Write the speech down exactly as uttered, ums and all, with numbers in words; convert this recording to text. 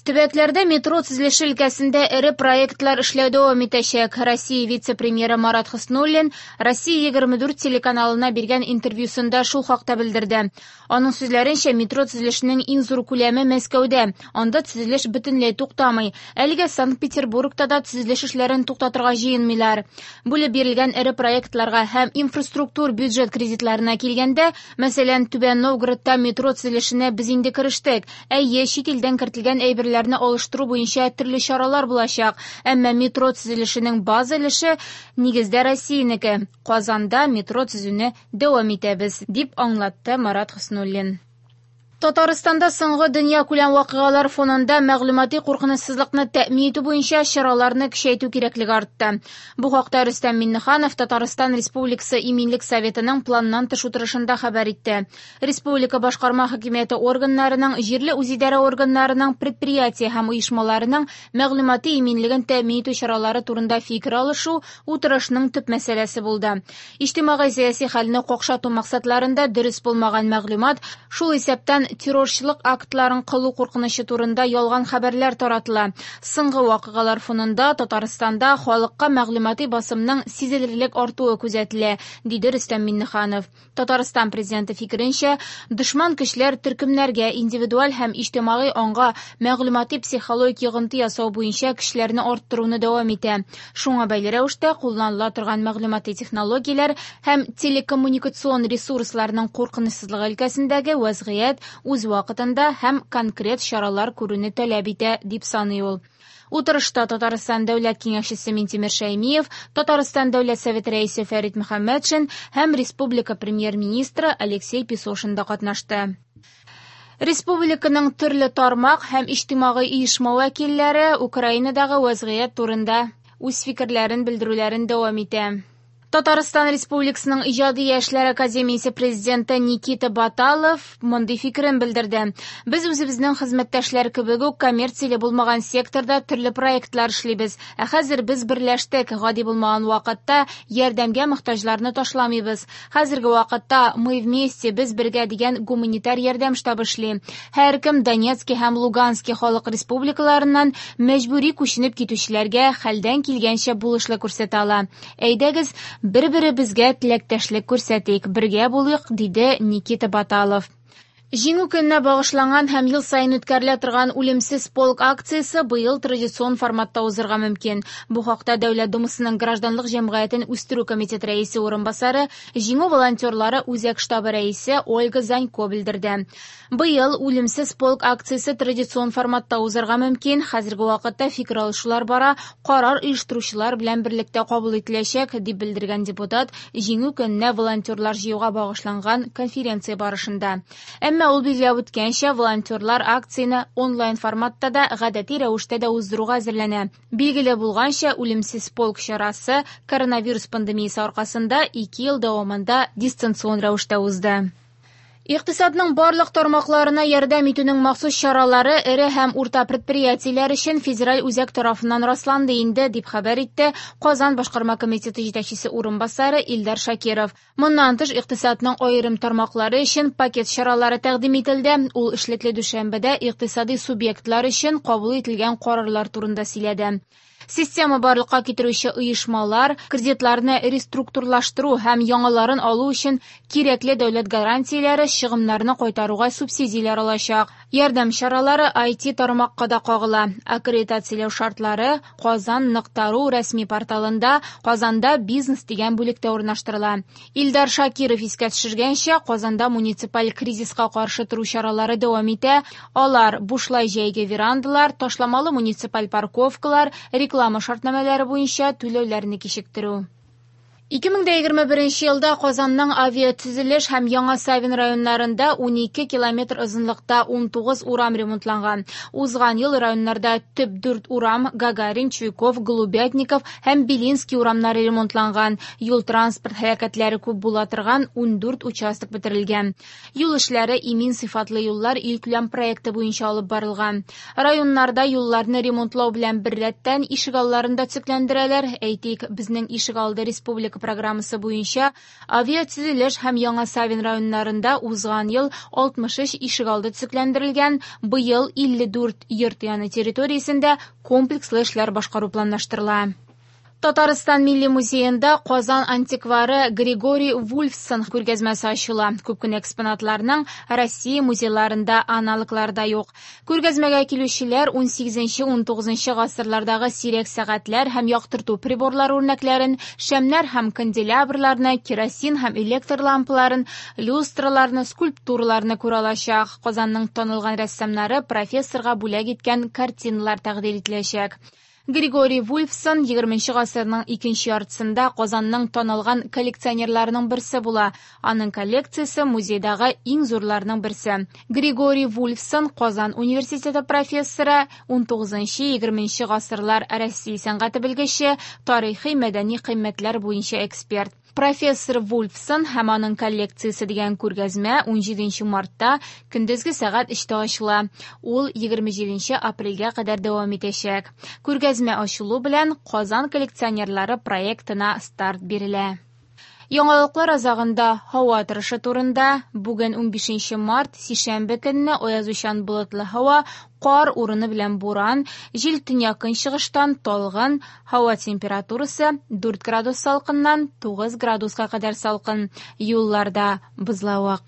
Төбәкләрдә метро төзелеше өлкәсендә эре проектлар эшләү дәвам итәчәк. Россия вице-премьеры Марат Хөснуллин Россия егерме дүрт телеканалына биргән интервьюсында шул хакта белдерде. Аның сүзләренчә, метро төзелешенең иң зур күләме Мәскәүдә. Анда төзелеш бөтенләй туктамый. Әлегә Санкт-Петербургта да төзелеш эшләрен туктатырга җыенмыйлар. Бүлеп бирелгән эре проектларга һәм инфраструктур бюджет кредитларына килгәндә, мәсәлән, Түбән Новгородта метро төзелешенә без инде керештек. Әйе, чит илдән кертелгән әйберләрне алыштыру буенча төрле чаралар булачак, әмма метро төзелешенең база өлеше нигездә Россиянеке. Казанда метро төзүне дәвам итәбез, дип аңлатты Марат Хөснуллин. Татарстанда соңгы дөнья күләм вакыйгалар фонында мәгълүмати куркынычсызлыкны тәэмин итү буенча чараларны көчәйтү кирәклеге артты. Бу хакта Рөстәм Миңнеханов Татарстан Республикасы Иминлек Советының планнан тыш утырышында хәбәр итте. Республика башкарма хакимияте органнарының, җирле үзидарә органнарының, предприятие һәм оешмаларының мәгълүмати иминлеген тәэмин итү чаралары турында фикер алышу утырышның төп мәсьәләсе булды. Иҗтимагый сәяси хәлне какшату максатларында дөрес булмаган мәгълүмат, шул исәптән террорчылык актларын кылу куркынычы турында ялган хәбәрләр таратыла. Соңгы вакыйгалар фонында Татарстанда халыкка мәгълүмати басымның сизелерлек артуы күзәтелә, диде Рөстәм Миңнеханов. Татарстан президенты фикеренчә, дошман көчләр төркемнәргә индивидуаль һәм иҗтимагый аңга мәгълүмати психологик йогынты ясау буенча көчләрне арттыруны дәвам итә. Шуңа бәйле рәвештә кулланыла торган мәгълүмати технологияләр һәм телекоммуникацион ресурсларның куркынычсызлыгы өлкәсендәге вәзгыять үз вакытында һәм конкрет чаралар күрүне таләп итә, дип саный ул. Утырышта Татарстан Дәүләт Киңәшчесе Минтимер Шәймиев, Татарстан Дәүләт Советы рәисе Фәрит Мөхәммәтшин һәм республика премьер-министры Алексей Песошин да катнашты. Республиканың төрле тармак һәм иҗтимагый оешма вәкилләре Украинадагы вәзгыять турында үз фикерләрен белдерүләрен дәвам итә. Татарстан Республикасының Иҗади яшьләр академиясе президенты Никита Баталов мондый фикерен белдерде. Без үзебезнең хезмәттәшләр кебек үк коммерцияле булмаган секторда төрле проектлар эшлибез. Ә хәзер без берләштек, гади булмаган вакытта ярдәмгә мохтаҗларны ташламыйбыз. Хәзерге вакытта Мы вместе, без бергә дигән гуманитар ярдәм штабы эшли. Һәркем Донецки һәм Лугански халык республикаларыннан мәҗбүри күченеп китүчеләргә хәлдән килгәнчә булышлык күрсәтә ала. Әйдәгез, бер-беребезгә теләктәшлек күрсәтик, бергә булыйк, диде Никита Баталов. Җиңү көненә багышланган һәм ел саен үткәрелә торган Үлемсез полк акциясе быел традицион форматта узырга мөмкин. Бу хакта Дәүләт Думасының гражданлык җәмгыятен үстерү комитеты рәисе урынбасары, Җиңү волонтерлары үзәк штабы рәисе Ольга Занько белдерде. Быел Үлемсез полк акциясе традицион форматта узырга мөмкин. Хәзерге вакытта фикер алышулар бара, карар оештыручылар белән берлектә кабул ителәчәк, дип белдергән депутат Җиңү көненә волонтерлар җыюга багышланган конференция барышында. Әмма ул билгеләп үткәнчә, волонтерлар акцияне онлайн форматта да, гадәти рәвештә дә уздыруга әзерләнә. Билгеле булганча, Үлемсез полк чарасы коронавирус пандемиясе аркасында ике ел дәвамында дистанцион рәвештә узды. Икътисадның барлык тармакларына ярдәм итүнең махсус чаралары эре һәм урта предприятиеләр өчен федераль үзәк тарафыннан расланды инде, дип хәбәр итте Казан башкарма комитеты җитәкчесе урынбасары Илдар Шакиров. Моннан тыш, икътисадның аерым тармаклары өчен пакет чаралары тәкъдим ителде. Ул эшлекле дүшәмбедә икътисади субъектлар өчен кабул ителгән карарлар турында сөйләде. Система барлыкка китерүче оешмалар кредитларны реструктурлаштыру һәм яңаларын алу өчен кирәкле дәүләт гарантияләре чыгымнарны кайтаруга субсидияләр алачак. Ярдәм чаралары ай ти тармакка да кагыла. Аккредитацияләү шартлары Казан нокта ру рәсми порталында Казанда бизнес дигән бүлектә урнаштырыла. Илдар Шакиров искә төшергәнчә, Казанда муниципаль кризиска каршы тору чаралары дәвам итә. Алар бушлай җәйге верандалар, ташламалы муниципаль парковкалар, реклама шартнамәләре буенча түләүләрне кичектерү. Ике мең дә егерме беренче елда Казанның авиатөзелеш һәм Яңа Савин районнарында ун ике километр озынлыкта ун тугыз урам ремонтланган. Узган ел районнарда төп дүрт урам Гагарин, Чуйков, Голубятников һәм Белинский урамнары ремонтланган. Юл транспорт һәлакәтләре күп була торган ун дүрт участок бетерелгән. Юл эшләре имин сыйфатлы юллар илкүләм проекты буенча алып барылган. Районнарда юлларны ремонтлау белән беррәттән ишегалларын да төзекләндерәләр. Әйтик, безнең ишегалды республика республика программасы буенча Авиатөзелеш һәм Яңа Савин районнарында узган ел алтмыш өч ишегалды төзекләндерелгән, быел илле дүрт йорт яны территориясендә комплекслы эшләр башкару планлаштырыла. Татарстан Милли музеенда Казан антиквары Григорий Вульфсон күргәзмәсе ачыла. Күп кенә экспонатларның Россия музейларында аналоглары да юк. Күргәзмәгә килүчеләр ун сигезенче, ун тугызынчы гасырлардагы сирәк сәгатьләр һәм яктырту приборлары үрнәкләрен, шәмнәр һәм канделябрларны, керосин һәм электр лампаларын, люстраларны, скульптураларны күрә алачак. Казанның танылган рәссамнары профессорга бүләк иткән картиналар тәкъдир ителәчәк. Григорий Вульфсон егерменче гасырның икенче яртысында Казанның танылган коллекционерларының берсе була. Аның коллекциясе музейдагы иң зурларының берсе. Григорий Вульфсон Казан университеты профессоры, ун тугызынчы, егерменче гасырлар Россия сәнгате белгече, тарихи мәдәни кыйммәтләр буенча эксперт. Профессор Вульфсон һәм аның коллекциясе дигән күргәзмә ун җиденче мартта көндезге сәгать өчтә ачыла. Ул егерме җиденче апрельгә кадәр дәвам итәчәк. Күргәзмә ачылу белән Казан коллекционерлары проектына старт бирелә. Яңалыклар азагында һава торышы турында. Бүген ун бишенче март, сишәмбе көнне аязучан болытлы һава, кар урыны белән буран, җил төньяк-көнчыгыштан талгын, һава температурасы дүрт градус салкыннан тугыз градуска кадәр салкын. Юлларда бозлавык.